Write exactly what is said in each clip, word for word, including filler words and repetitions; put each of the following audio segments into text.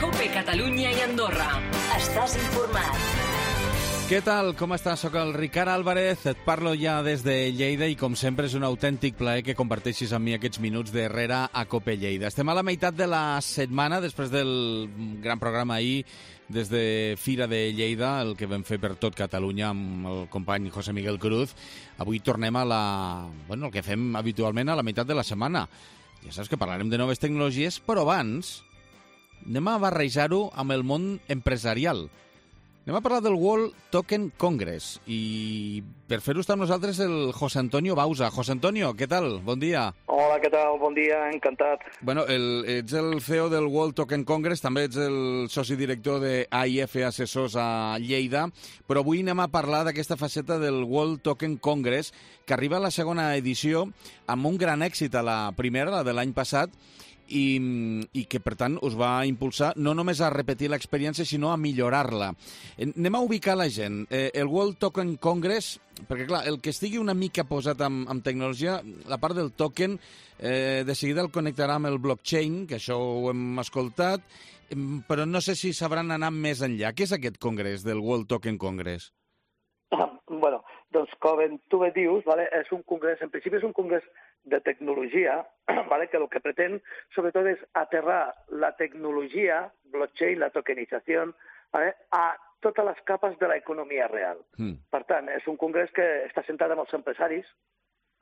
COPE Catalunya i Andorra. Estàs informat. Què tal? Com estàs? Soc el Ricard Álvarez, et parlo ja des de Lleida i com sempre és un autèntic plaer que comparteixis amb mi aquests minuts darrere a COPE Lleida. Estem a la meitat de la setmana, després del gran programa ahir des de Fira de Lleida, el que vam fer per tot Catalunya amb el company José Miguel Cruz. Avui tornem a la... bueno, el que fem habitualment a la meitat de la setmana. Ja saps que parlarem de noves tecnologies, però abans anem a barrejar-ho amb el món empresarial. Anem a parlar del World Token Congress i per fer-ho està amb nosaltres el José Antonio Bauza. José Antonio, què tal? Bon dia. Hola, què tal? Bon dia, encantat. Bueno, el, ets el C E O del World Token Congress, també ets el soci director de A I F Assessors a Lleida, però avui anem a parlar d'aquesta faceta del World Token Congress que arriba a la segona edició amb un gran èxit a la primera, la de l'any passat, I, i que, per tant, us va impulsar no només a repetir l'experiència, sinó a millorar-la. Anem a ubicar la gent. Eh, el World Token Congress, perquè, clar, el que estigui una mica posat amb, amb tecnologia, la part del token, eh, de seguida el connectarà amb el blockchain, que això ho hem escoltat, però no sé si sabran anar més enllà. Què és aquest congrés del World Token Congress? Ah, bueno, doncs com tu bé dius, vale, és un congrés, en principi és un congrés de tecnologia, vale, que el que pretén sobretot és aterrar la tecnologia, blockchain, la tokenització, vale, a totes les capes de l'economia real. Mm. Per tant, és un congrés que està centrat en els empresaris,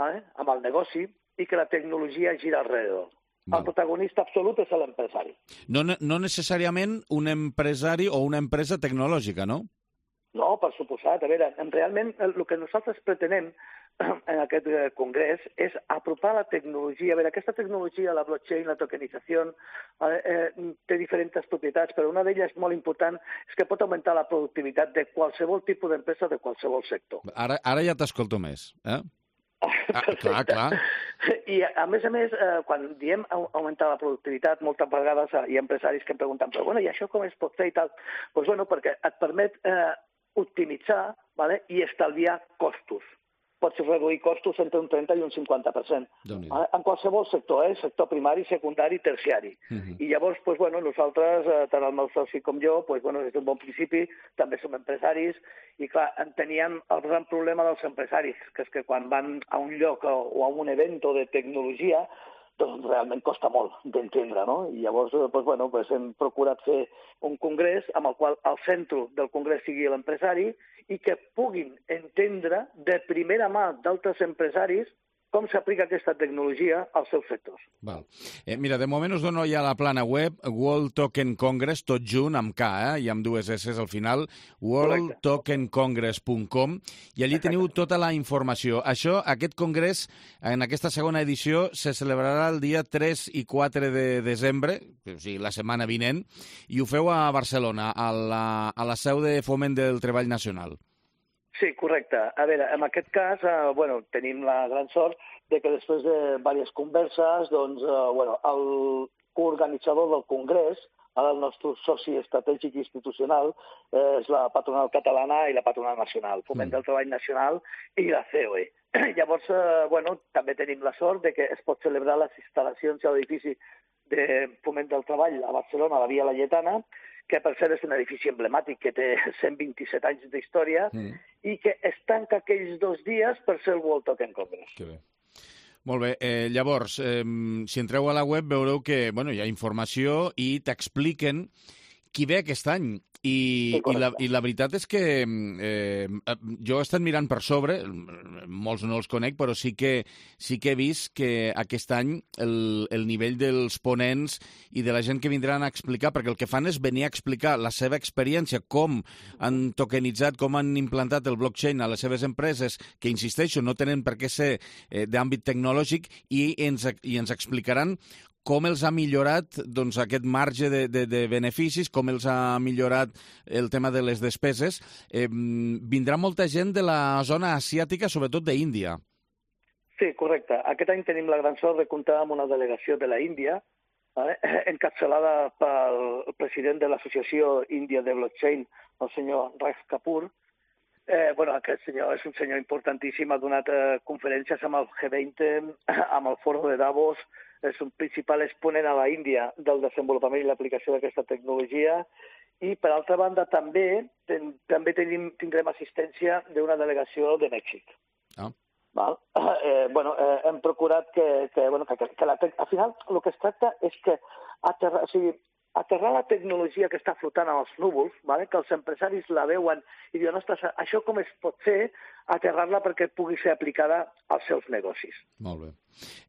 vale, amb el negoci, i que la tecnologia gira alrededor. Val. El protagonista absolut és l'empresari. No, no necessàriament un empresari o una empresa tecnològica, no? No, per suposat. A veure, realment el que nosaltres pretenem en aquest congrés és apropar la tecnologia. A veure, aquesta tecnologia, la blockchain, la tokenització, eh, té diferents propietats, però una d'elles molt important és que pot augmentar la productivitat de qualsevol tipus d'empresa, de qualsevol sector. Ara, ara ja t'escolto més, eh? Ah, clar, clar. I, a més a més, eh, quan diem augmentar la productivitat, moltes vegades hi ha empresaris que em pregunten, però bueno, i això com es pot fer i tal? Doncs pues, bueno, perquè et permet eh, optimitzar, vale, i estalviar costos. Pots reduir costos entre un trenta i un cinquanta per cent. En qualsevol sector, eh? Sector primari, secundari, terciari. Uh-huh. I llavors, pues, bueno, nosaltres, eh, tant el meu soci com jo, pues, bueno, des d'un bon principi, també som empresaris, i clar, teníem el gran problema dels empresaris, que és que quan van a un lloc o, o a un evento de tecnologia, doncs realment costa molt d'entendre, no? I llavors, doncs, bueno, doncs hem procurat fer un congrés amb el qual el centre del congrés sigui l'empresari i que puguin entendre de primera mà d'altres empresaris com s'aplica aquesta tecnologia als seus sectors. Val. Eh, mira, de moment us dono ja la plana web, World Token Congress, tot junt, amb K, eh? I amb dues S al final, world token congress punt com, i allí teniu tota la informació. Això, aquest congrés, en aquesta segona edició, se celebrarà el dia tres i quatre de desembre, o sigui, la setmana vinent, i ho feu a Barcelona, a la, a la seu de Foment del Treball Nacional. Sí, correcte. A veure, en aquest cas, eh, bueno, tenim la gran sort de que després de diverses converses, doncs, eh, bueno, el coorganitzador del congrés, el nostre soci estratègic institucional, eh, és la patronal catalana i la patronal nacional, Foment del Treball Nacional i la C O E. Llavors, eh, bueno, també tenim la sort de que es pot celebrar les instal·lacions a l'edifici de Foment del Treball a Barcelona, a la Via Laietana, que per cert és un edifici emblemàtic que té cent vint-i-set anys d'història mm. i que es tanca aquells dos dies per ser el World Token Congress. Que bé. Molt bé, eh, llavors, eh, si entreu a la web veureu que bueno, hi ha informació i t'expliquen qui ve aquest any. I, sí, i, la, I la veritat és que eh, jo he estat mirant per sobre, molts no els conec, però sí que, sí que he vist que aquest any el, el nivell dels ponents i de la gent que vindran a explicar, perquè el que fan és venir a explicar la seva experiència, com han tokenitzat, com han implantat el blockchain a les seves empreses, que, insisteixo, no tenen per què ser eh, d'àmbit tecnològic, i ens, i ens explicaran com els ha millorat doncs, aquest marge de, de, de beneficis, com els ha millorat el tema de les despeses. Eh, vindrà molta gent de la zona asiàtica, sobretot d'Índia. Sí, correcte. Aquest any tenim la gran sort de comptar amb una delegació de la Índia, eh, encapçalada pel president de l'Associació Índia de Blockchain, el senyor Raj Kapoor, Eh, bueno, aquest senyor és un senyor importantíssim, ha donat eh, conferències amb el G veinte, amb el Foro de Davos, és un principal exponent a la Índia del desenvolupament i l'aplicació d'aquesta tecnologia, i per altra banda també ten, també tenim, tindrem assistència d'una delegació de Mèxic. Ah. Val? Eh, bueno, eh, hem procurat que, que, bueno, que, que la te... al final el que es tracta és que aterrar, o sigui, aterrar la tecnologia que està flotant als núvols, vale? Que els empresaris la veuen i diuen, ostres, això com es pot fer, aterrar-la perquè pugui ser aplicada als seus negocis. Molt bé.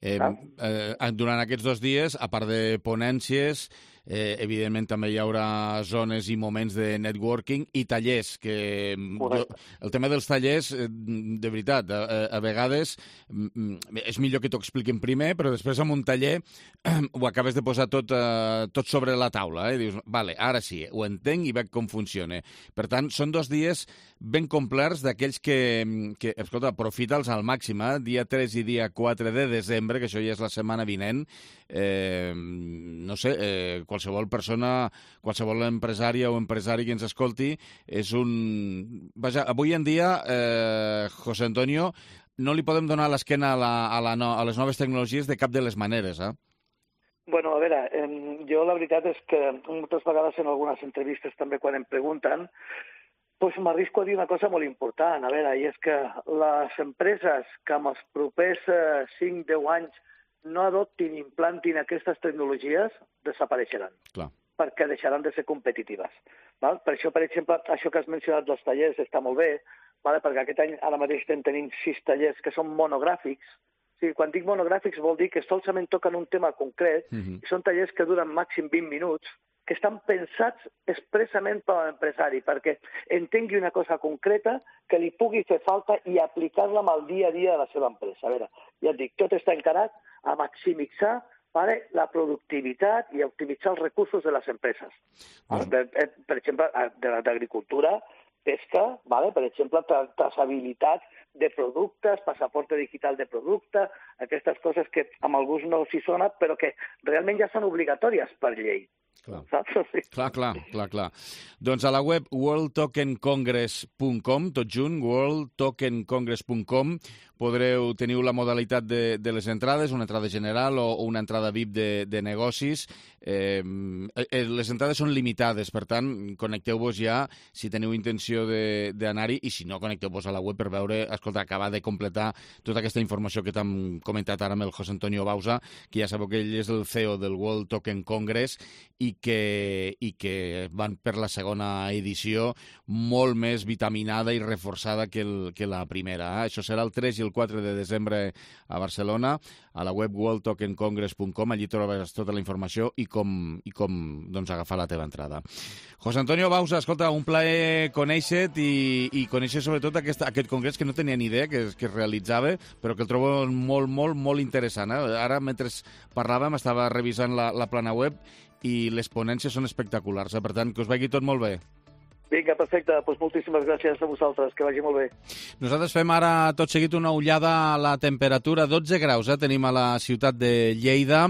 Eh, eh, durant aquests dos dies, a part de ponències, eh, evidentment també hi haurà zones i moments de networking i tallers, que jo, el tema dels tallers, de veritat, a, a vegades és millor que t'ho expliquin primer, però després amb un taller ho acabes de posar tot, eh, tot sobre la taula, eh? Dius, vale, ara sí, ho entenc i veig com funciona. Per tant, són dos dies ben complerts d'aquells que, que escolta, aprofita'ls al màxim, eh? Dia tres i dia quatre de desembre, que això ja és la setmana vinent, eh, no sé, eh, qualsevol persona, qualsevol empresària o empresari que ens escolti, és un... Vaja, avui en dia, eh, José Antonio, no li podem donar l'esquena a, la, a, la no, a les noves tecnologies de cap de les maneres, eh? Bueno, a veure, eh, jo la veritat és que moltes vegades en algunes entrevistes també quan em pregunten, doncs m'arrisco a dir una cosa molt important, a veure, i és que les empreses que en els propers eh, cinc a deu anys no adoptin i implantin aquestes tecnologies desapareixeran. Clar. Perquè deixaran de ser competitives. Val? Per això, per exemple, això que has mencionat dels tallers està molt bé, val? Perquè aquest any ara mateix estem tenint sis tallers que són monogràfics. O sigui, quan dic monogràfics vol dir que solament toquen un tema concret, uh-huh. i són tallers que duren màxim vint minuts, que estan pensats expressament per a l'empresari, perquè entengui una cosa concreta que li pugui fer falta i aplicar-la amb el dia a dia de la seva empresa. A veure, ja et dic, tot està encarat a maximitzar, vale, la productivitat i a optimitzar els recursos de les empreses. Uh-huh. Per, per exemple, d'agricultura, pesca, vale? Per exemple, tra traçabilitat de productes, passaporte digital de producte, aquestes coses que amb alguns no s'hi sona, però que realment ja són obligatòries per llei. Clar. clar, clar, clar, clar. Doncs a la web world token congress punt com, tot junt, world token congress punt com, podreu, teniu la modalitat de, de les entrades, una entrada general o, o una entrada V I P de, de negocis. Eh, eh, les entrades són limitades, per tant, connecteu-vos ja si teniu intenció d'anar-hi, i si no, connecteu-vos a la web per veure, escolta, acabar de completar tota aquesta informació que t'hem comentat ara amb el José Antonio Bauza, que ja sabeu que ell és el C E O del World Token Congress i que, i que van per la segona edició molt més vitaminada i reforçada que, el, que la primera. Eh? Això serà el tres i el quatre de desembre a Barcelona, a la web world token congress punt com, allí trobaràs tota la informació i com, i com doncs, agafar la teva entrada. José Antonio Bauza, escolta, un plaer conèixer-te i, i conèixer sobretot aquest, aquest congrés que no tenia ni idea que, que es realitzava, però que el trobo molt, molt, molt interessant. Eh? Ara, mentre parlàvem, estava revisant la, la plana web i les ponències són espectaculars. Eh? Per tant, que us vagi tot molt bé. Vinga, perfecte. Doncs moltíssimes gràcies a vosaltres. Que vagi molt bé. Nosaltres fem ara tot seguit una ullada a la temperatura. dotze graus, eh? Tenim a la ciutat de Lleida.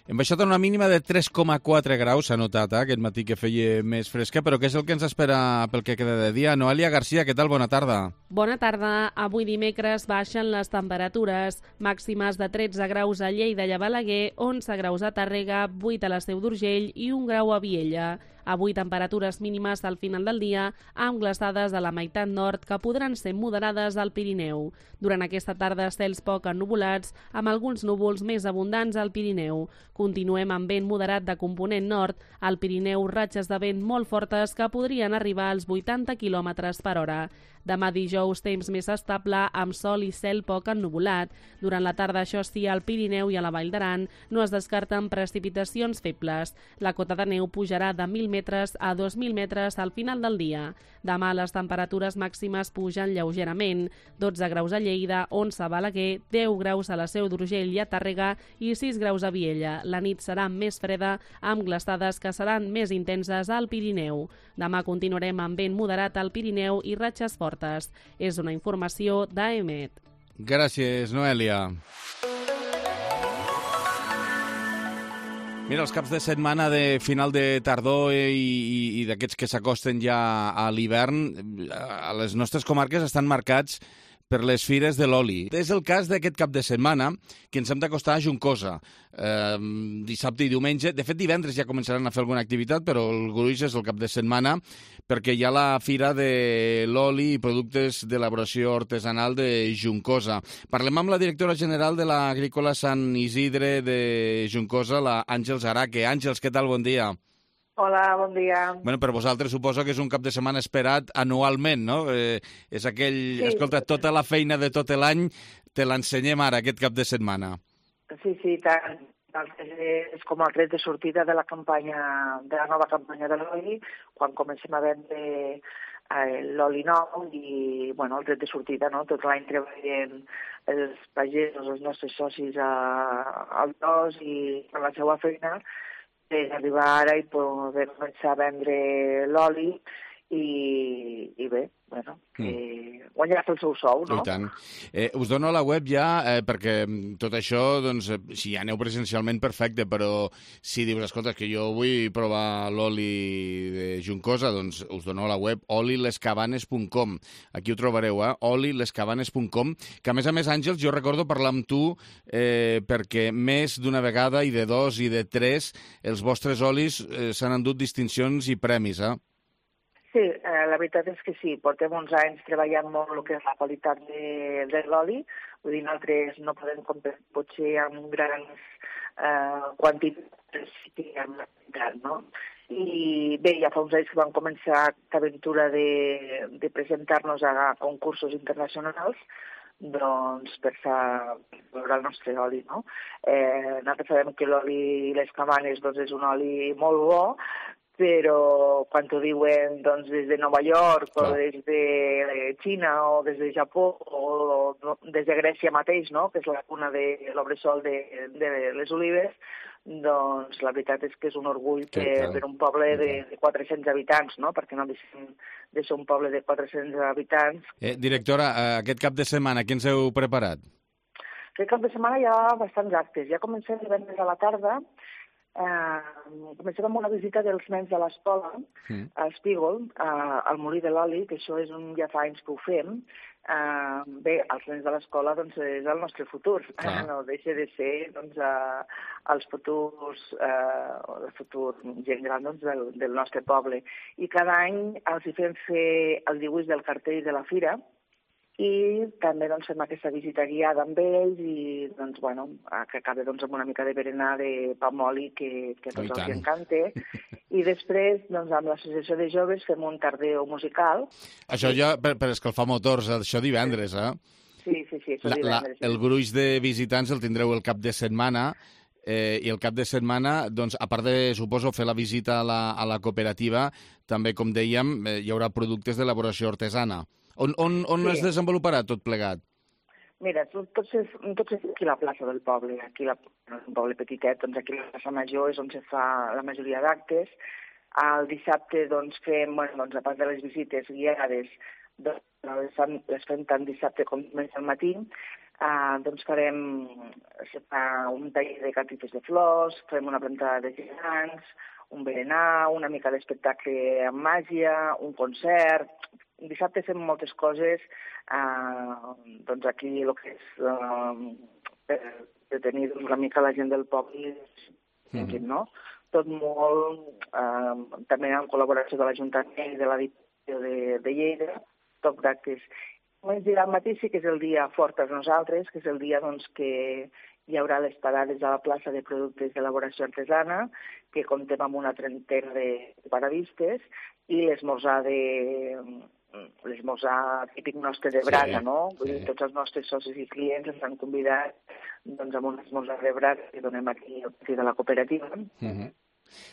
Hem baixat a una mínima de tres coma quatre graus, s'ha notat, eh? Aquest matí que feia més fresca, però què és el que ens espera pel que queda de dia? Noelia Garcia, què tal? Bona tarda. Bona tarda. Avui dimecres baixen les temperatures màximes de tretze graus a Lleida i a Balaguer, onze graus a Tàrrega, vuit a la Seu d'Urgell i un grau a Viella. Avui temperatures mínimes al final del dia amb glaçades a la meitat nord que podran ser moderades al Pirineu. Durant aquesta tarda cels poc ennuvolats amb alguns núvols més abundants al Pirineu. Continuem amb vent moderat de component nord, al Pirineu ratxes de vent molt fortes que podrien arribar als vuitanta quilòmetres per hora. Demà dijous, temps més estable, amb sol i cel poc ennuvolat. Durant la tarda, això sí, al Pirineu i a la Vall d'Aran no es descarten precipitacions febles. La cota de neu pujarà de mil metres a dos mil metres al final del dia. Demà les temperatures màximes pugen lleugerament. dotze graus a Lleida, onze a Balaguer, deu graus a la Seu d'Urgell i a Tàrrega i sis graus a Viella. La nit serà més freda, amb glaçades que seran més intenses al Pirineu. Demà continuarem amb vent moderat al Pirineu i ratxes fortes. És una informació d'A E M E T. Gràcies, Noelia. Mira, els caps de setmana de final de tardor i, i, i d'aquests que s'acosten ja a l'hivern, a les nostres comarques estan marcats per les fires de l'oli. És el cas d'aquest cap de setmana, que ens hem d'acostar a Juncosa, eh, dissabte i diumenge. De fet, divendres ja començaran a fer alguna activitat, però el gruix és el cap de setmana, perquè hi ha la fira de l'oli i productes d'elaboració artesanal de Juncosa. Parlem amb la directora general de l'Agrícola Sant Isidre de Juncosa, la Àngels Araque. Àngels, què tal? Bon dia. Hola, bon dia. Bueno, per vosaltres suposo que és un cap de setmana esperat anualment, no? Eh, és aquell... Sí. Escolta, tota la feina de tot l'any te l'ensenyem ara, aquest cap de setmana. Sí, sí, tant. És com el tret de sortida de la campanya, de la nova campanya de l'oli, quan comencem a vendre eh, l'oli nou i, bueno, el tret de sortida, no? Tot l'any treballen els pagesos, els nostres socis a, al dos i a la seva feina, per arribar ara i poder començar a vendre l'oli i, i bé, bueno, que mm. guanyar el seu sou, no? I tant. Eh, us dono la web ja, eh, perquè tot això, doncs, si aneu presencialment, perfecte, però si dius, escolta, que jo vull provar l'oli de Juncosa, doncs us dono la web oli les cabanes punt com. Aquí ho trobareu, eh? oli les cabanes punt com, que a més a més, Àngels, jo recordo parlar amb tu eh, perquè més d'una vegada, i de dos i de tres, els vostres olis eh, s'han endut distincions i premis, eh? Sí, eh, la veritat és que sí, portem uns anys treballant molt el que és la qualitat de, de l'oli, vull dir, nosaltres no podem comprar potser amb grans eh, quantitats, sí que amb la qualitat, no? I bé, ja fa uns anys que vam començar aquesta aventura de, de presentar-nos a concursos internacionals, doncs per veure el nostre oli, no? Eh, nosaltres sabem que l'oli Les Cabanes doncs, és un oli molt bo, però quan t'ho diuen doncs, des de Nova York o des de Xina o des de Japó o des de Grècia mateix, no? Que és la cuna de l'obresol de, de les olives, doncs la veritat és que és un orgull per, per un poble de, de quatre-cents habitants, no? Perquè no deixem de ser un poble de quatre-cents habitants. Eh, directora, aquest cap de setmana, què ens heu preparat? Aquest cap de setmana hi ha bastants actes. Ja comencem divendres a la tarda. Uh, comencem amb una visita dels nens de l'escola, mm. a Espígol, uh, al Molí de l'Oli, que això és un, ja fa anys que ho fem. Uh, bé, els nens de l'escola doncs, és el nostre futur, uh, no deixa de ser doncs, uh, els futurs, uh, el futur gent gran doncs, del, del nostre poble. I cada any els hi fem fer el dibuix del cartell de la fira, i també doncs, fem aquesta visita guiada amb ells i doncs, bueno, que acabi doncs, amb una mica de berenar de pa amb oli que, que a tots els encanta. I després, doncs, amb l'associació de joves fem un tardeo musical. Això ja per, per escalfar motors, això divendres, eh? Sí, sí, sí, això la, divendres. La, el gruix de visitants el tindreu el cap de setmana, eh, i el cap de setmana, doncs, a part de, suposo, fer la visita a la, a la cooperativa, també, com dèiem, eh, hi haurà productes d'elaboració artesana. On, on, on sí. es desenvoluparà tot plegat? Mira, tot, tot, és, tot és aquí a la plaça del poble, aquí la, no és un poble petitet, doncs aquí a la plaça Major és on se fa la majoria d'actes. El dissabte doncs, fem, bueno, doncs, a part de les visites guiades, doncs, les, fem, les fem tant dissabte com diumenge al matí, eh, doncs farem se fa un taller de catifes de flors, farem una plantada de gegants, un berenar, una mica d'espectacle amb màgia, un concert. Dissabte fem moltes coses, eh, doncs aquí el que és eh, per, per tenir doncs, una mica la gent del poble, mm-hmm. no? Tot molt, eh, també en col·laboració de l'Ajuntament i de la Diputació de, de Lleida, tot d'actes. Al matí sí que és el dia fort per nosaltres, que és el dia doncs, que hi haurà les parades a la plaça de productes d'elaboració artesana, que comptem amb una trentena de paradistes, i l'esmorzar de... l'esmorzar típic nostre de brasa, sí, no? Vull dir, sí. Tots els nostres socis i clients ens han convidat doncs, a un esmorzar de brasa que donem aquí al pati de la cooperativa. Uh-huh.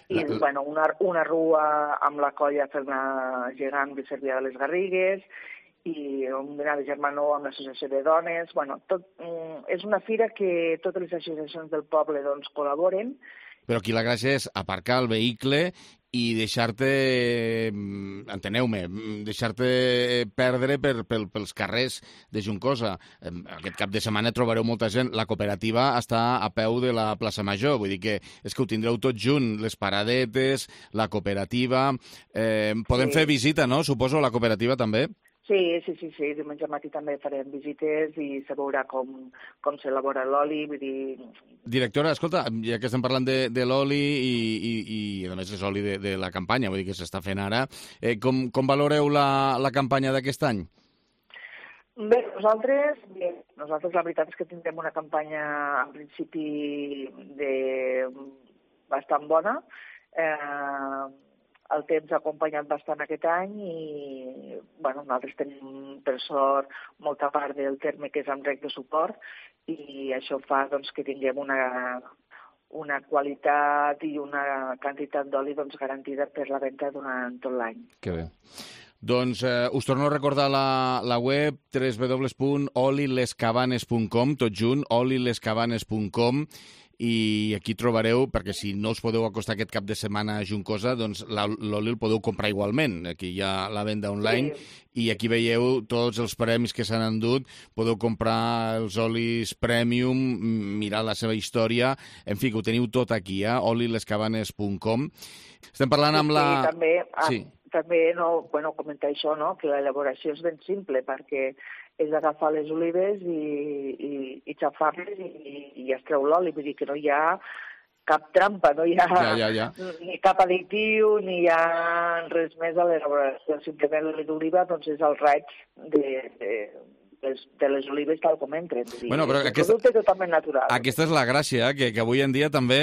I, la... bueno, una, una rua amb la colla fer una gegant de Cervià de les Garrigues, i un dinar de germanor amb l'associació de dones. Bueno, tot, és una fira que totes les associacions del poble doncs, col·laboren. Però aquí la gràcia és aparcar el vehicle i deixar-te, enteneu-me, deixar-te perdre per, per, pels carrers de Juncosa. Aquest cap de setmana trobareu molta gent. La cooperativa està a peu de la plaça Major, vull dir que és que ho tindreu tot junt, les paradetes, la cooperativa... Eh, podem sí. fer visita, no? Suposo, a la cooperativa també? Sí, sí, sí, sí. Diumenge al matí també farem visites i se veurà com, com s'elabora l'oli, vull dir... Directora, escolta, ja que estem parlant de, de l'oli i, i, i a més és oli de, de la campanya, vull dir que s'està fent ara, eh, com, com valoreu la, la campanya d'aquest any? Bé, nosaltres, bé, nosaltres la veritat és que tindrem una campanya en principi de bastant bona. Eh, el temps ha acompanyat bastant aquest any i bueno, nosaltres tenim, per sort, molta part del terme que és amb rec de suport i això fa doncs, que tinguem una, una qualitat i una quantitat d'oli doncs, garantida per la venda durant tot l'any. Que bé. Doncs eh, us torno a recordar la, la web w w w punt oli les cabanes punt com, tot junt, oli les cabanes punt com, i aquí trobareu, perquè si no us podeu acostar aquest cap de setmana a Juncosa, doncs l'oli el podeu comprar igualment. Aquí hi ha la venda online sí. I aquí veieu tots els premis que s'han endut. Podeu comprar els olis premium, mirar la seva història, en fi, que ho teniu tot aquí, eh? oli les cabanes punt com. Estem parlant amb la... Sí, també, sí. també no, bueno, comentar això, no? Que l'elaboració és ben simple, perquè és agafar les olives i, i, i xafar-les i, i es treu l'oli. Vull dir que no hi ha cap trampa, no hi ha ja, ja, ja. ni cap additiu, ni hi ha res més a l'elaboració. Simplement l'oli d'oliva doncs, és el raig de, de, de les olives tal com entren. Bueno, però és aquesta, un producte totalment natural. Aquesta és la gràcia, que, que avui en dia també,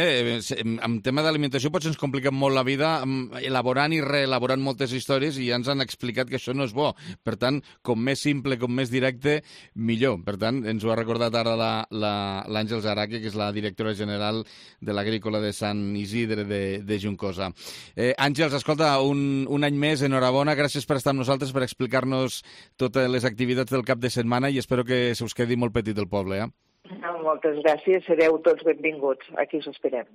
en tema d'alimentació, potser ens complica molt la vida elaborant i reelaborant moltes històries i ja ens han explicat que això no és bo. Per tant, com més simple, com més directe, millor. Per tant, ens ho ha recordat ara l'Àngels Araque, que és la directora general de l'Agrícola de Sant Isidre de, de Juncosa. Eh, Àngels, escolta, un, un any més, enhorabona, gràcies per estar amb nosaltres, per explicar-nos totes les activitats del cap de setmana i espero que se us quedi molt petit el poble, eh? No, moltes gràcies, sereu tots benvinguts. Aquí us esperem.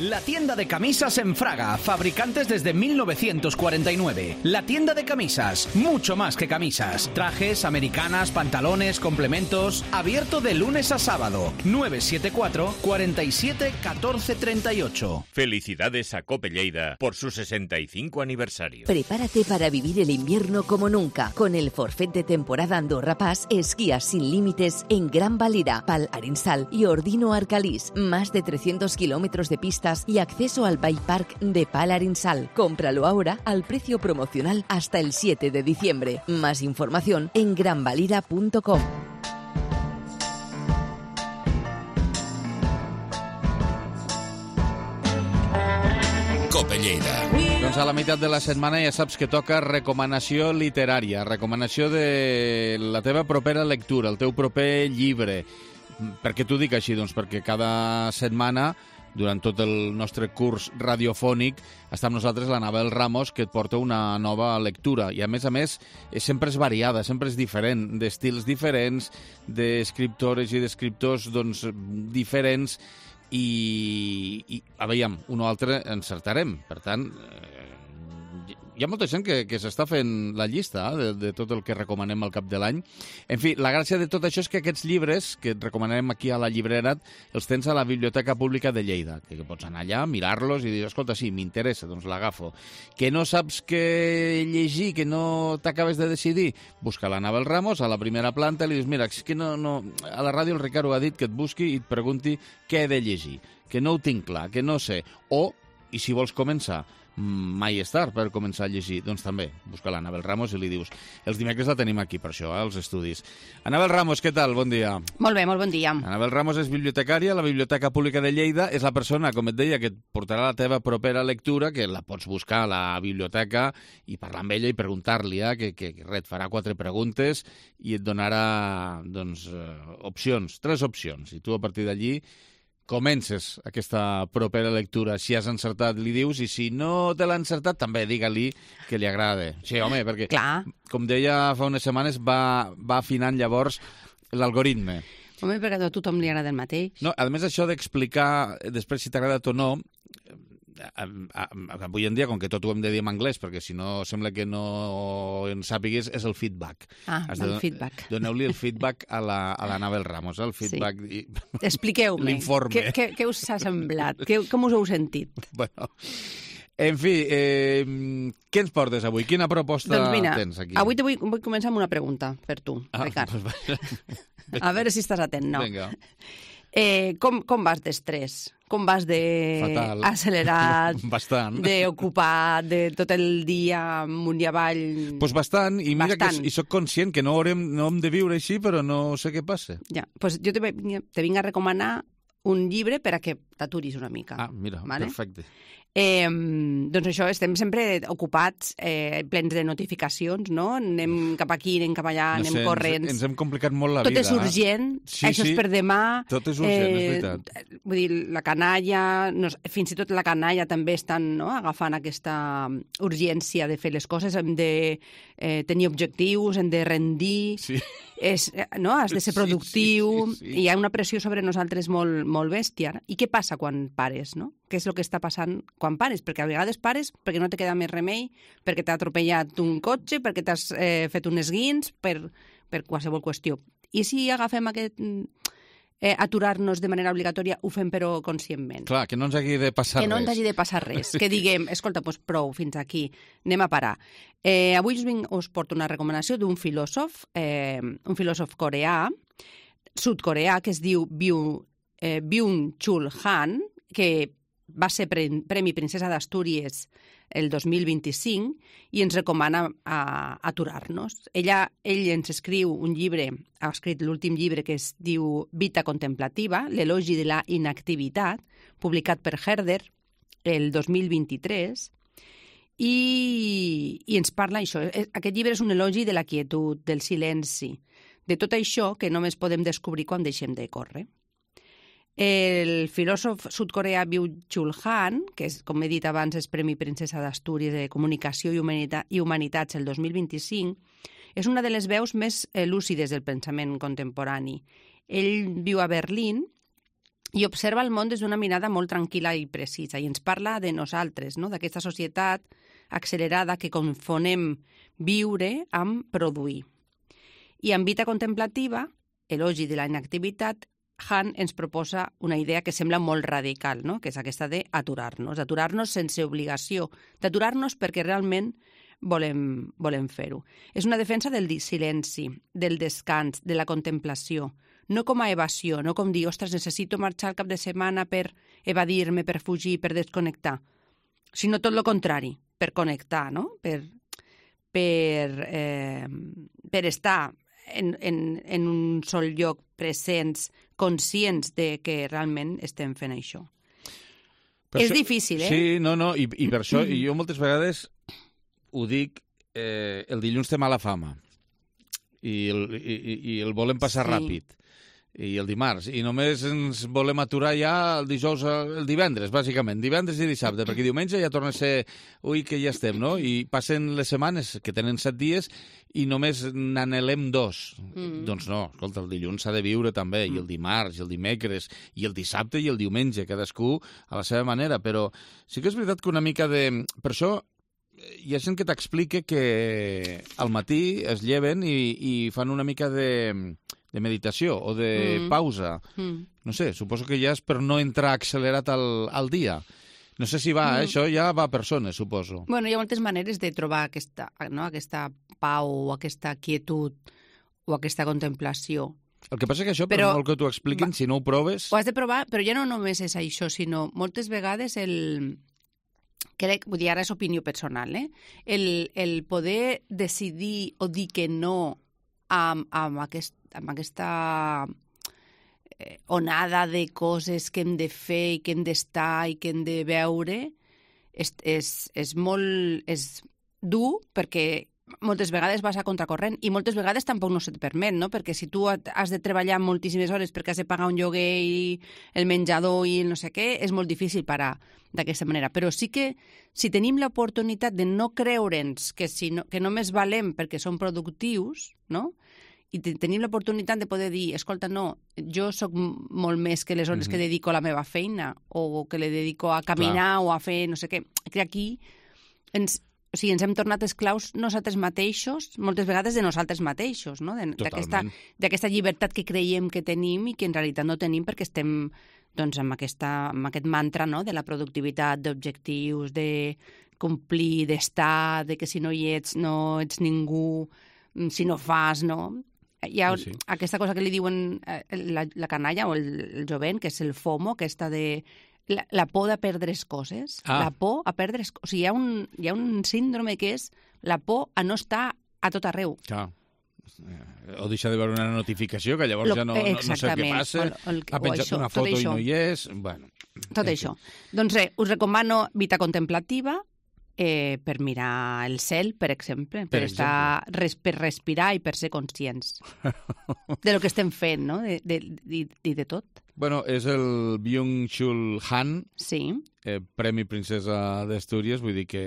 La tienda de camisas en Fraga, fabricantes desde mil novecientos cuarenta y nueve. La tienda de camisas, mucho más que camisas. Trajes, americanas, pantalones, complementos. Abierto de lunes a sábado. nueve siete cuatro, cuatro siete, uno cuatro tres ocho. Felicidades a Cope Lleida por su sesenta y cinco aniversario. Prepárate para vivir el invierno como nunca. Con el forfait de temporada Andorra Pass, esquías sin límites en Gran Valira, Pal Arinsal y Ordino Arcalís. Más de trescientos kilómetros de pistas y acceso al Bike Park de Pal Arinsal. Cómpralo ahora al precio promocional hasta el siete de diciembre. Más información en gran valira punto com. Cope Lleida. Doncs a la meitat de la setmana ja saps que toca recomanació literària, recomanació de la teva propera lectura, el teu proper llibre. Per què t'ho dic així? Doncs perquè cada setmana, durant tot el nostre curs radiofònic, està amb nosaltres l'Anabel Ramos, que et porta una nova lectura. I, a més a més, sempre és variada, sempre és diferent, d'estils diferents, d'escriptores i d'escriptors doncs, diferents, i, i a veure, un o altre encertarem. Per tant, eh, hi ha molta gent que, que s'està fent la llista eh, de, de tot el que recomanem al cap de l'any. En fi, la gràcia de tot això és que aquests llibres que et recomanem aquí a la llibrera els tens a la Biblioteca Pública de Lleida, que, que pots anar allà, mirar-los i dir, escolta, sí, m'interessa, doncs l'agafo. Que no saps què llegir, que no t'acabes de decidir, busca l'Anabel Ramos a la primera planta i li dius, mira, és que no, no, a la ràdio el Ricardo ha dit que et busqui i et pregunti què he de llegir, que no ho tinc clar, que no sé. O, i si vols començar, mai és tard per començar a llegir, doncs també busca l'Anabel Ramos i li dius. Els dimecres la tenim aquí per això, eh, als estudis. Anabel Ramos, què tal? Bon dia. Molt bé, molt bon dia. Anabel Ramos és bibliotecària a la Biblioteca Pública de Lleida, és la persona, com et deia, que et portarà la teva propera lectura, que la pots buscar a la biblioteca i parlar amb ella i preguntar-li, eh, que, que res, et farà quatre preguntes i et donarà doncs, eh, opcions, tres opcions, i tu a partir d'allí comences aquesta propera lectura. Si has encertat, li dius, i si no te l'ha encertat, també digue-li que li agrada. Sí, home, perquè, Clar. com deia fa unes setmanes, va, va afinant llavors l'algoritme. Home, perquè a tothom li agrada el mateix. No, a més, això d'explicar després si t'ha agradat o no, avui en dia, com que tot ho hem de dir en anglès, perquè si no sembla que no en sàpigues, és el feedback. Ah, Has el de, feedback. Doneu-li el feedback a la, a la Nabel Ramos, el feedback... Sí. I... Expliqueu-me. L'informe. Què, què, què us ha semblat? Què, com us heu sentit? Bueno, en fi, eh, què ens portes avui? Quina proposta doncs mira, tens aquí? Avui te vull, vull començar amb una pregunta per tu, ah, Ricard. Pues... A veure si estàs atent, no? Vinga. Eh, com, com vas d'estrès? Com vas de Fatal. accelerat, Bastant. d'ocupat, de tot el dia amunt i avall? Pues bastant, i mira bastant. que i soc conscient que no haurem, no hem de viure així, però no sé què passa. Ja, pues jo te, te vinc a recomanar un llibre per a que t'aturis una mica. Ah, mira, vale? perfecte. Eh, doncs això, estem sempre ocupats, eh, plens de notificacions, no? Anem cap aquí, anem cap allà, No anem sé, corrents. Ens, ens hem complicat molt la Tot vida. és urgent, Sí, això sí. és per demà. Tot és urgent, és veritat. Vull dir, la canalla, no, fins i tot la canalla també estan no, agafant aquesta urgència de fer les coses, hem de eh, tenir objectius, hem de rendir, Sí. és, no? Has de ser Sí, productiu, sí, sí, sí. hi ha una pressió sobre nosaltres molt, molt bèstia. I què passa quan pares, no? Què és el que està passant quan pares? Perquè a vegades pares perquè no te queda més remei, perquè t'ha atropellat un cotxe, perquè t'has eh, fet un esguins, per, per qualsevol qüestió. I si agafem aquest... Eh, aturar-nos de manera obligatòria, ho fem però conscientment. Clar, que no ens hagi de passar que no res. ens hagi de passar res. Que diguem, escolta, doncs prou, fins aquí, anem a parar. Eh, avui us, vinc, us porto una recomanació d'un filòsof, eh, un filòsof coreà, sud-coreà, que es diu Byung, eh, Byung-Chul Han, que va ser pre Premi Princesa d'Astúries el dos mil vint-i-cinc i ens recomana a, aturar-nos. Ella, ell ens escriu un llibre, ha escrit l'últim llibre que es diu Vita contemplativa, l'elogi de la inactivitat, publicat per Herder el dos mil vint-i-tres, i, i ens parla això. Aquest llibre és un elogi de la quietud, del silenci, de tot això que només podem descobrir quan deixem de córrer. El filòsof sud-coreà Byung-Chul Han, que és, com he dit abans, és Premi Princesa d'Astúries de Comunicació i, Humanita i Humanitats el dos mil vint-i-cinc, és una de les veus més eh, lúcides del pensament contemporani. Ell viu a Berlín i observa el món des d'una mirada molt tranquil·la i precisa, i ens parla de nosaltres, no? D'aquesta societat accelerada que confonem viure amb produir. I en Vita contemplativa, elogi de la inactivitat, Han ens proposa una idea que sembla molt radical, no? Que és aquesta d'aturar-nos, aturar-nos sense obligació, d'aturar-nos perquè realment volem, volem fer-ho. És una defensa del silenci, del descans, de la contemplació, no com a evasió, no com dir, ostres, necessito marxar el cap de setmana per evadir-me, per fugir, per desconnectar, sinó tot el contrari, per connectar, no? Per, per, eh, per estar en, en, en un sol lloc, presents, conscients de que realment estem fent això. Per és això, difícil, eh? Sí, no, no, i, i per això jo moltes vegades ho dic, eh, el dilluns té mala fama i el, i, i el volem passar Sí. ràpid. I el dimarts, i només ens volem aturar ja el dijous, el divendres, bàsicament, divendres i dissabte, perquè diumenge ja torna a ser, ui, que ja estem, no? I passen les setmanes, que tenen set dies, i només n'anhelem dos. Mm. Doncs no, escolta, el dilluns s'ha de viure també, mm. i el dimarts, i el dimecres, i el dissabte i el diumenge, cadascú a la seva manera, però sí que és veritat que una mica de... Per això hi ha gent que t'explica que al matí es lleven i, i fan una mica de... de meditació o de mm. pausa. Mm. No sé, suposo que ja és per no entrar accelerat al, al dia. No sé si va, mm. eh? Això ja va a persones, suposo. Bueno, hi ha moltes maneres de trobar aquesta, no? aquesta pau o aquesta quietud o aquesta contemplació. El que passa que això, però, per molt que t'ho expliquin, va, si no ho proves... Ho has de provar, però ja no només és això, sinó moltes vegades el... Crec, vull dir, ara és opinió personal, eh? El, el poder decidir o dir que no amb, amb, aquest, amb aquesta eh, onada de coses que hem de fer i que hem d'estar i que hem de veure és, és, és molt és dur perquè moltes vegades vas a contracorrent i moltes vegades tampoc no se't permet, no? Perquè si tu has de treballar moltíssimes hores perquè has de pagar un lloguer i el menjador i el no sé què, és molt difícil parar d'aquesta manera. Però sí que si tenim l'oportunitat de no creure'ns que, si no, que només valem perquè som productius, no?, i tenim l'oportunitat de poder dir, escolta, no, jo sóc molt més que les hores mm-hmm. que dedico a la meva feina o que le dedico a caminar Clar. o a fer no sé què. Que aquí ens, o sigui, ens hem tornat esclaus nosaltres mateixos, moltes vegades de nosaltres mateixos, no? D'aquesta llibertat que creiem que tenim i que en realitat no tenim perquè estem doncs, amb, aquesta, amb aquest mantra, no?, de la productivitat, d'objectius, de complir, d'estar, de que si no hi ets no ets ningú, si no fas, no... Hi ha sí, sí. aquesta cosa que li diuen la, la canalla o el, el jovent, que és el FOMO, aquesta de la, la por de perdre's coses. Ah. La por a perdre's coses. O sigui, hi ha, un, hi ha un síndrome que és la por a no estar a tot arreu. Clar. O deixa de veure una notificació, que llavors Lo, ja no, no, no sé què passa. El, el, ha penjat això, una foto i no hi és. Bueno, tot això. Doncs res, us recomano Vita Contemplativa, Eh, per mirar el cel, per exemple, per, per, estar, res, per respirar i per ser conscients de lo que estem fent, no?, de, de, de, de, de tot. Bueno, és el Byung-Chul Han, sí. eh, Premi Princesa d'Astúries, vull dir que,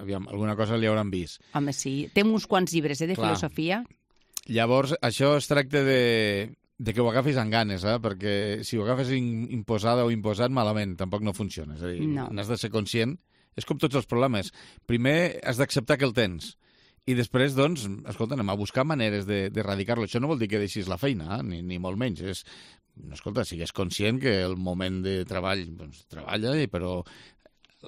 aviam, alguna cosa li hauran vist. Home, sí. Té uns quants llibres, eh, de Clar. filosofia. Llavors, això es tracta de... de que ho agafis amb ganes, eh? Perquè si ho agafes in, imposada o imposat, malament, tampoc no funciona. És a dir, no. n'has de ser conscient. És com tots els problemes. Primer has d'acceptar que el tens. I després, doncs, escolta, anem a buscar maneres d'erradicar-lo. Això no vol dir que deixis la feina, eh? ni, ni molt menys. És, escolta, sigues conscient que el moment de treball, doncs, treballa, però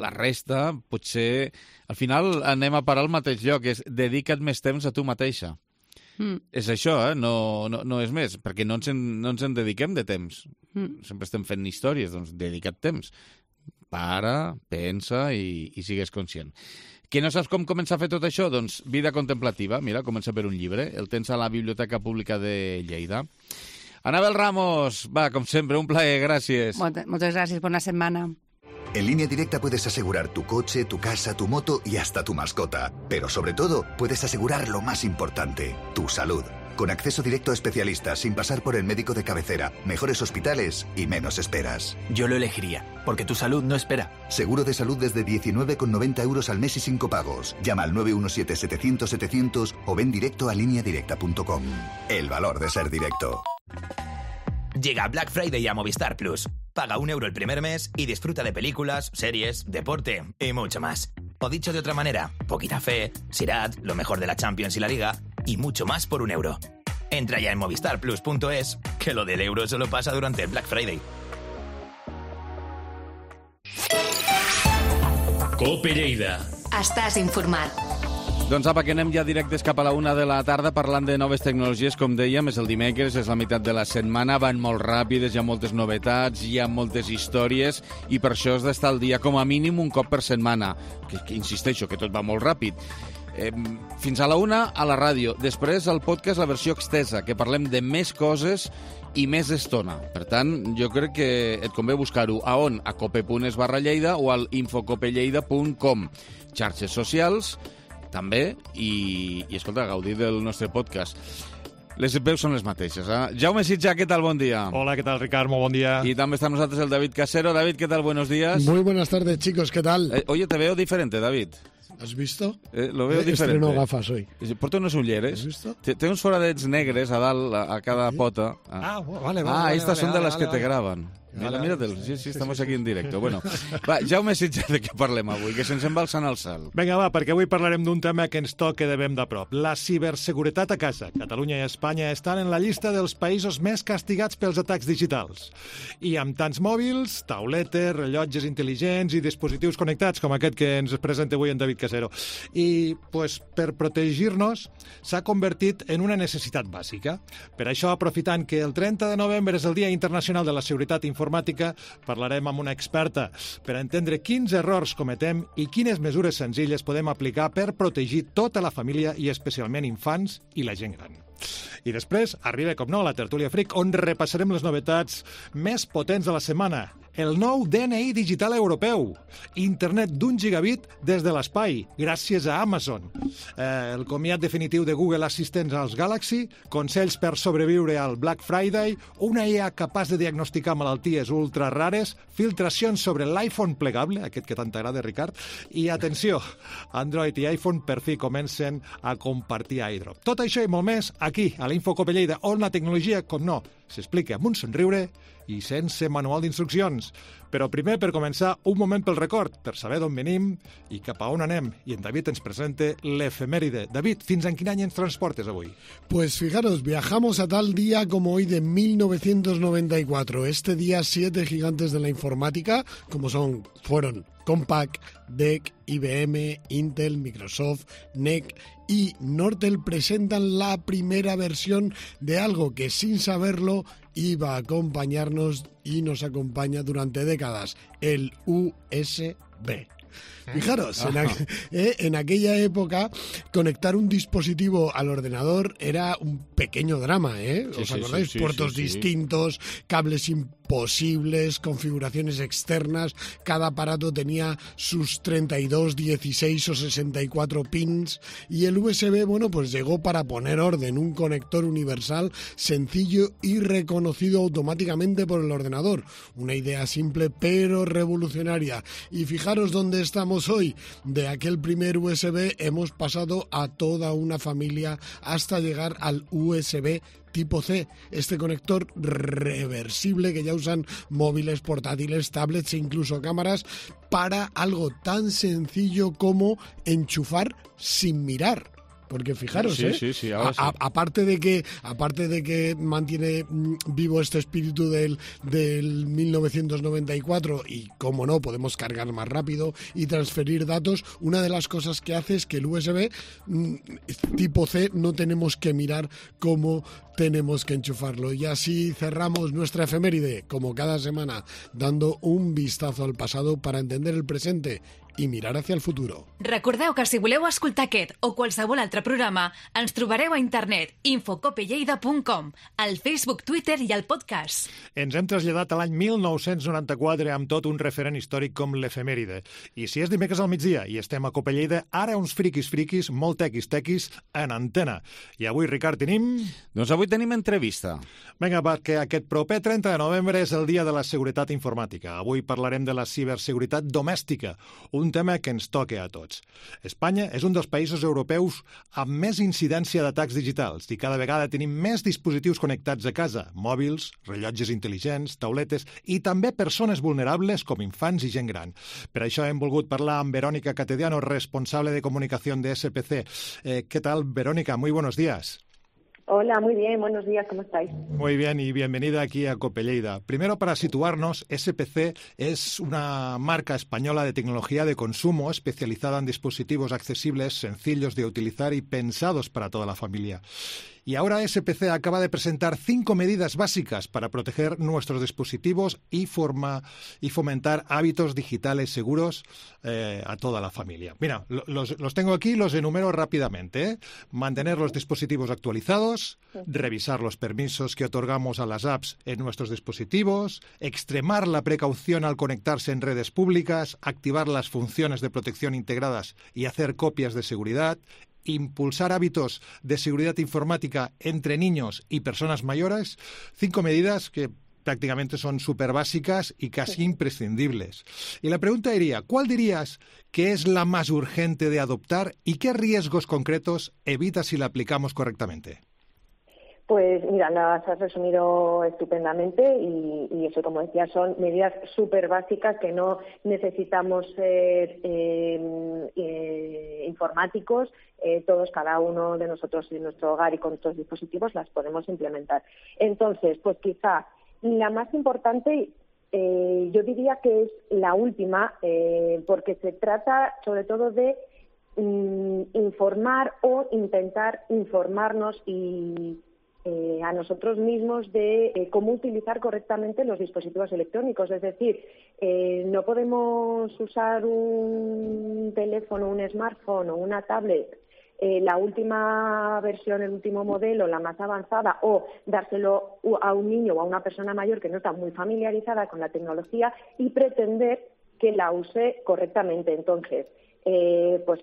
la resta, potser... Al final anem a parar al mateix lloc, és dedica't més temps a tu mateixa. Mm. És això, eh? No, no, no és més, perquè no ens en, no ens en dediquem de temps. Mm. Sempre estem fent històries, doncs dedica't temps. Para, pensa i, i sigues conscient. Que no saps com començar a fer tot això? Doncs Vida Contemplativa, mira, comença per un llibre. El tens a la Biblioteca Pública de Lleida. Anabel Ramos, va, com sempre, un plaer, gràcies. Moltes, moltes gràcies, bona setmana. En Línea Directa puedes asegurar tu coche, tu casa, tu moto y hasta tu mascota. Pero sobre todo, puedes asegurar lo más importante, tu salud. Con acceso directo a especialistas, sin pasar por el médico de cabecera, mejores hospitales y menos esperas. Yo lo elegiría, porque tu salud no espera. Seguro de salud desde diecinueve con noventa euros al mes y sin copagos. Llama al nueve uno siete, setecientos, setecientos o ven directo a línea directa punto com. El valor de ser directo. Llega Black Friday a Movistar Plus. Paga un euro el primer mes y disfruta de películas, series, deporte y mucho más. O dicho de otra manera, poquita fe, Sirat, lo mejor de la Champions y la Liga y mucho más por un euro. Entra ya en movistar plus punto es, que lo del euro solo pasa durante el Black Friday. Cope Lleida. Estàs informat. Doncs apa, que anem ja directes cap a la una de la tarda parlant de noves tecnologies. Com dèiem, és el dimecres, és la meitat de la setmana, van molt ràpides, hi ha moltes novetats, hi ha moltes històries, i per això has d'estar al dia com a mínim un cop per setmana. Que, que insisteixo, que tot va molt ràpid. Eh, fins a la una a la ràdio, després al podcast la versió extesa, que parlem de més coses i més estona. Per tant, jo crec que et convé buscar-ho a on? A cope punt es barra Lleida o al infocopelleida punt com. Xarxes socials, també, i, i escolta, gaudir del nostre podcast. Les veus són les mateixes, eh? Jaume Sitjà, què tal? Bon dia. Hola, ¿qué tal, Ricard? Muy buen día. Y también está con nosotros el David Casero. David, ¿qué tal? Buenos días. Muy buenas tardes, chicos, ¿qué tal? Eh, oye, te veo diferente, David. ¿Has visto? Eh, lo veo eh, diferente. Estreno gafas hoy. Porto unos ulleres. ¿Has visto? Té uns foradets negres a dalt, a, a cada ¿Sí? pota. Ah, vale, vale. Ah, vale, estas vale, son de vale, las vale, que vale. te graban. Mira, Vale, míratelos. Sí, sí, estamos aquí en directo. Bueno, va, Jaume Sitjà, de què parlem avui? Que se'ns en va alçant el salt. Vinga, va, perquè avui parlarem d'un tema que ens toca de ben de prop. La ciberseguretat a casa. Catalunya i Espanya estan en la llista dels països més castigats pels atacs digitals. I amb tants mòbils, tauletes, rellotges intel·ligents i dispositius connectats, com aquest que ens presenta avui en David Casero. I, pues, per protegir-nos, s'ha convertit en una necessitat bàsica. Per això, aprofitant que el trenta de novembre és el Dia Internacional de la Seguretat Informàtica, parlarem amb una experta per entendre quins errors cometem i quines mesures senzilles podem aplicar per protegir tota la família i especialment infants i la gent gran. I després arriba, com no, la tertúlia Freak, on repassarem les novetats més potents de la setmana. El nou D N I digital europeu. Internet d'un gigabit des de l'espai, gràcies a Amazon. Eh, el comiat definitiu de Google Assistant als Galaxy, consells per sobreviure al Black Friday, una I A capaç de diagnosticar malalties ultra rares, filtracions sobre l'iPhone plegable, aquest que tant t'agrada, Ricard, i atenció, Android i iPhone per fi comencen a compartir iDrop. Tot això i molt més aquí, a l'Infocope Lleida, on la tecnologia, com no, s'explica amb un somriure i sense manual d'instruccions. Però primer, per començar, un moment pel record, per saber d'on venim i cap a on anem. I en David ens presenta l'efemèride. David, fins en quin any ens transportes avui? Pues fijaros, viajamos a tal día como hoy de mil novecientos noventa y cuatro. Este día, siete gigantes de la informática, como son, fueron Compaq, D E C, I B M, Intel, Microsoft, N E C y Nortel presentan la primera versión de algo que sin saberlo iba a acompañarnos y nos acompaña durante décadas, el U S B. Fijaros, en, aqu eh, en aquella época conectar un dispositivo al ordenador era un pequeño drama, ¿eh? ¿Os sí, acordáis? Sí, sí, Puertos sí, sí. distintos, cables imposibles, configuraciones externas, cada aparato tenía sus treinta y dos, dieciséis o sesenta y cuatro pins y el U S B, bueno, pues llegó para poner orden, un conector universal sencillo y reconocido automáticamente por el ordenador. Una idea simple pero revolucionaria. Y fijaros dónde estamos hoy. De aquel primer U S B hemos pasado a toda una familia hasta llegar al U S B tipo C, este conector reversible que ya usan móviles, portátiles, tablets e incluso cámaras para algo tan sencillo como enchufar sin mirar. Porque fijaros, sí, ¿eh? Sí, sí, ahora sí. A, a, aparte de que aparte de que mantiene mm, vivo este espíritu del, del mil novecientos noventa y cuatro y, como no, podemos cargar más rápido y transferir datos, una de las cosas que hace es que el U S B mm, tipo C no tenemos que mirar cómo tenemos que enchufarlo. Y así cerramos nuestra efeméride, como cada semana, dando un vistazo al pasado para entender el presente i mirar hacia el futuro. Recordeu que si voleu escoltar aquest o qualsevol altre programa, ens trobareu a internet infocopelleida punt com, al Facebook, Twitter i al podcast. Ens hem traslladat a l'any mil nou-cents noranta-quatre amb tot un referent històric com l'efemèride. I si és dimecres al migdia i estem a Copelleida, ara uns friquis friquis, molt tequis tequis, en antena. I avui, Ricard, tenim... Doncs avui tenim entrevista. Vinga, perquè aquest proper trenta de novembre és el dia de la seguretat informàtica. Avui parlarem de la ciberseguretat domèstica, un tema que ens toca a tots. Espanya és un dels països europeus amb més incidència d'atacs digitals i cada vegada tenim més dispositius connectats a casa, mòbils, rellotges intel·ligents, tauletes i també persones vulnerables com infants i gent gran. Per això hem volgut parlar amb Verónica Catediano, responsable de comunicació de S P C. Eh, ¿Qué tal, Verónica? Muy buenos días. Hola, muy bien, buenos días, ¿cómo estáis? Muy bien y bienvenida aquí a Copelleida. Primero, para situarnos, S P C es una marca española de tecnología de consumo especializada en dispositivos accesibles, sencillos de utilizar y pensados para toda la familia. Y ahora S P C acaba de presentar cinco medidas básicas para proteger nuestros dispositivos y, forma, y fomentar hábitos digitales seguros eh, a toda la familia. Mira, los, los tengo aquí, los enumero rápidamente. ¿eh? Mantener los dispositivos actualizados, revisar los permisos que otorgamos a las apps en nuestros dispositivos, extremar la precaución al conectarse en redes públicas, activar las funciones de protección integradas y hacer copias de seguridad, impulsar hábitos de seguridad informática entre niños y personas mayores, cinco medidas que prácticamente son súper básicas y casi imprescindibles. Y la pregunta iría, ¿cuál dirías que es la más urgente de adoptar y qué riesgos concretos evita si la aplicamos correctamente? Pues mira, las has resumido estupendamente y, y eso, como decía, son medidas súper básicas que no necesitamos ser eh, eh, informáticos. Eh, todos, cada uno de nosotros en nuestro hogar y con nuestros dispositivos las podemos implementar. Entonces, pues quizá la más importante, eh, yo diría que es la última, eh, porque se trata sobre todo de mm, informar o intentar informarnos y Eh, a nosotros mismos de eh, cómo utilizar correctamente los dispositivos electrónicos. Es decir, eh, no podemos usar un teléfono, un smartphone o una tablet eh, la última versión, el último modelo, la más avanzada, o dárselo a un niño o a una persona mayor que no está muy familiarizada con la tecnología y pretender que la use correctamente. Entonces, Eh, pues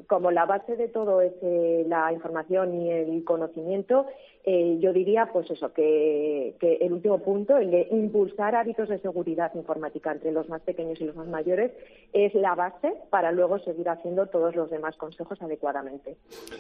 como la base de todo es eh, la información y el conocimiento, eh, yo diría pues eso, que, que el último punto, el de impulsar hábitos de seguridad informática entre los más pequeños y los más mayores, es la base para luego seguir haciendo todos los demás consejos adecuadamente.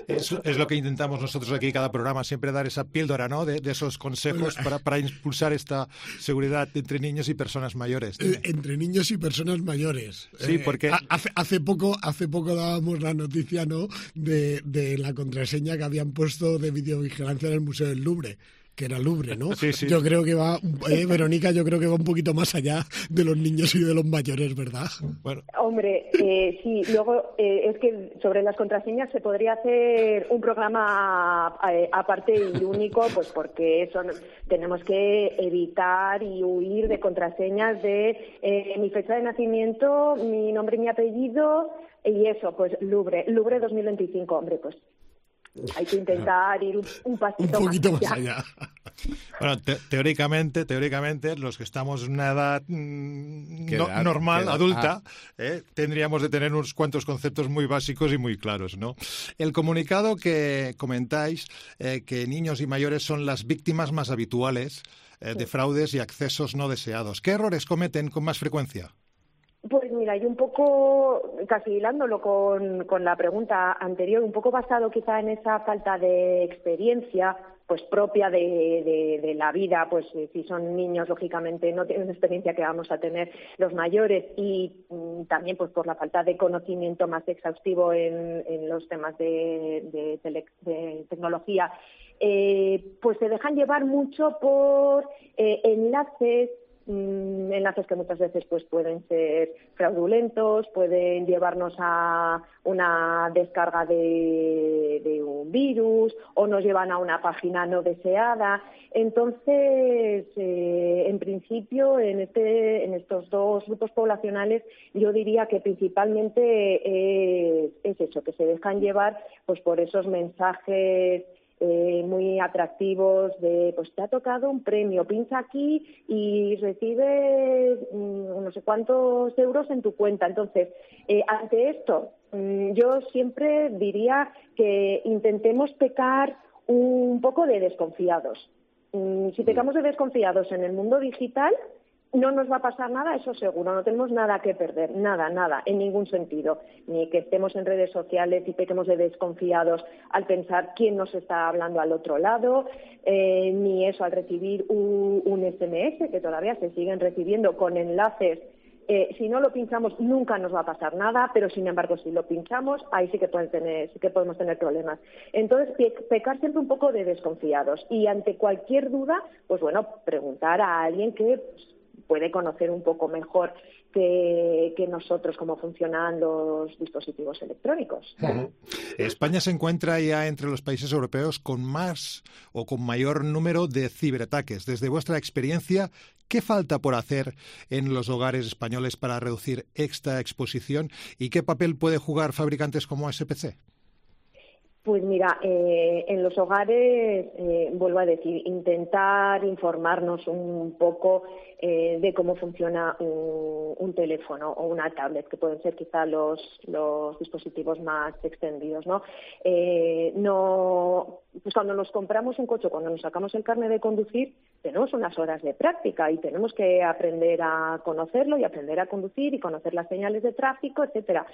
Es, es lo que intentamos nosotros aquí cada programa, siempre dar esa píldora, ¿no?, de, de esos consejos para, para impulsar esta seguridad entre niños y personas mayores. Eh, entre niños y personas mayores. Sí, porque... Eh, hace, hace poco hace poco dábamos la noticia, ¿no?, de, de la contraseña que habían puesto de videovigilancia en el Museo del Louvre, que era Louvre, ¿no? Sí, sí. Yo creo que va, eh, Verónica, yo creo que va un poquito más allá de los niños y de los mayores, ¿verdad? Bueno. Hombre, eh, sí, luego eh, es que sobre las contraseñas se podría hacer un programa eh, aparte y único, pues porque eso tenemos que evitar y huir de contraseñas de eh, mi fecha de nacimiento, mi nombre y mi apellido, y eso, pues Louvre, Louvre dos mil veinticinco, hombre, pues hay que intentar ir un, un pasito un poquito más más allá. allá. Bueno, te, teóricamente, teóricamente, los que estamos en una edad mm, ¿Qué no, edad? normal, ¿Qué edad? adulta, Ah. eh, tendríamos de tener unos cuantos conceptos muy básicos y muy claros, ¿no? El comunicado que comentáis, eh, que niños y mayores son las víctimas más habituales eh, de fraudes y accesos no deseados. ¿Qué errores cometen con más frecuencia? Pues mira, y un poco, casi hilándolo con, con la pregunta anterior, un poco basado quizá en esa falta de experiencia pues propia de, de, de la vida, pues si son niños, lógicamente no tienen experiencia que vamos a tener los mayores, y mm, también pues por la falta de conocimiento más exhaustivo en, en los temas de, de, tele, de tecnología, eh, pues se dejan llevar mucho por eh, enlaces, enlaces que muchas veces pues pueden ser fraudulentos, pueden llevarnos a una descarga de, de un virus o nos llevan a una página no deseada. Entonces, eh, en principio, en este, en estos dos grupos poblacionales, yo diría que principalmente es, es eso, que se dejan llevar pues por esos mensajes Eh, muy atractivos de, pues te ha tocado un premio, pincha aquí y recibes mmm, no sé cuántos euros en tu cuenta. Entonces, eh, ante esto, mmm, yo siempre diría que intentemos pecar un poco de desconfiados. Mmm, si pecamos de desconfiados en el mundo digital, no nos va a pasar nada, eso seguro, no tenemos nada que perder, nada, nada, en ningún sentido. Ni que estemos en redes sociales y pequemos de desconfiados al pensar quién nos está hablando al otro lado, eh, ni eso al recibir un, un ese eme ese, que todavía se siguen recibiendo con enlaces. Eh, si no lo pinchamos nunca nos va a pasar nada, pero sin embargo si lo pinchamos ahí sí que pueden tener, sí que podemos tener problemas. Entonces pe pecar siempre un poco de desconfiados y ante cualquier duda, pues bueno, preguntar a alguien que pues, puede conocer un poco mejor que, que nosotros cómo funcionan los dispositivos electrónicos. España se encuentra ya entre los países europeos con más o con mayor número de ciberataques. Desde vuestra experiencia, ¿qué falta por hacer en los hogares españoles para reducir esta exposición y qué papel puede jugar fabricantes como ese pe ce? Pues mira, eh, en los hogares, eh, vuelvo a decir, intentar informarnos un poco eh, de cómo funciona un, un teléfono o una tablet, que pueden ser quizá los, los dispositivos más extendidos, ¿no? Eh, no, pues cuando nos compramos un coche, cuando nos sacamos el carnet de conducir, tenemos unas horas de práctica y tenemos que aprender a conocerlo y aprender a conducir y conocer las señales de tráfico, etcétera.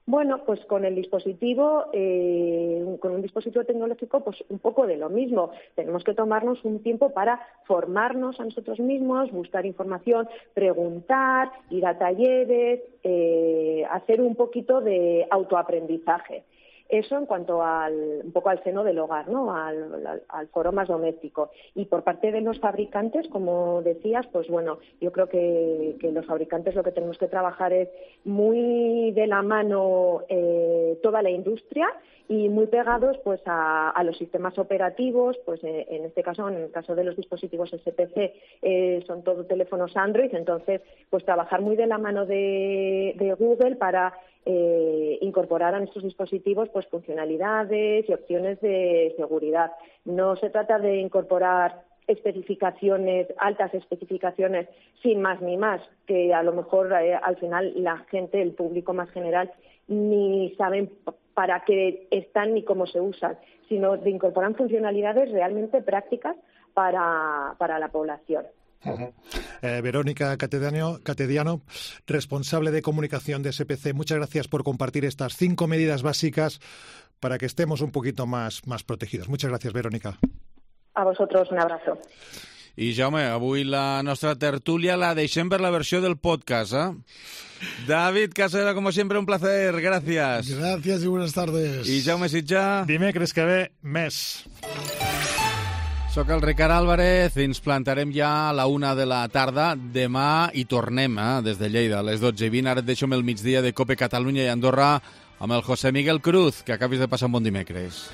Bueno, pues con el dispositivo, eh, con un dispositivo tecnológico, pues un poco de lo mismo. Tenemos que tomarnos un tiempo para formarnos a nosotros mismos, buscar información, preguntar, ir a talleres, eh, hacer un poquito de autoaprendizaje. Eso en cuanto al un poco al seno del hogar, ¿no? Al, al, al foro más doméstico. Y por parte de los fabricantes, como decías, pues bueno, yo creo que, que los fabricantes lo que tenemos que trabajar es muy de la mano eh, toda la industria y muy pegados pues a, a los sistemas operativos, pues eh, en este caso, en el caso de los dispositivos ese pe ce, eh, son todo teléfonos Android, entonces pues trabajar muy de la mano de, de Google para eh, incorporar a nuestros dispositivos pues pues funcionalidades y opciones de seguridad. No se trata de incorporar especificaciones, altas especificaciones, sin más ni más, que a lo mejor eh, al final la gente, el público más general, ni saben para qué están ni cómo se usan, sino de incorporar funcionalidades realmente prácticas para, para la población. Uh-huh. eh, Verónica Catediano, Catediano, responsable de comunicación de S P C, muchas gracias por compartir estas cinco medidas básicas para que estemos un poquito más, más protegidos. Muchas gracias, Verónica. A vosotros, un abrazo. I, Jaume, avui la nostra tertúlia la deixem per la versió del podcast, eh? David Casera, como siempre, un placer. Gracias. Gracias y buenas tardes. I Jaume Sitjà. Dimecres que ve, més. Soc el Ricard Álvarez, ens plantarem ja a la una de la tarda. Demà hi tornem, eh? Des de Lleida, a les dotze i vint. Ara et deixo amb el migdia de Cope Catalunya i Andorra amb el José Miguel Cruz. Que acabis de passar un bon dimecres.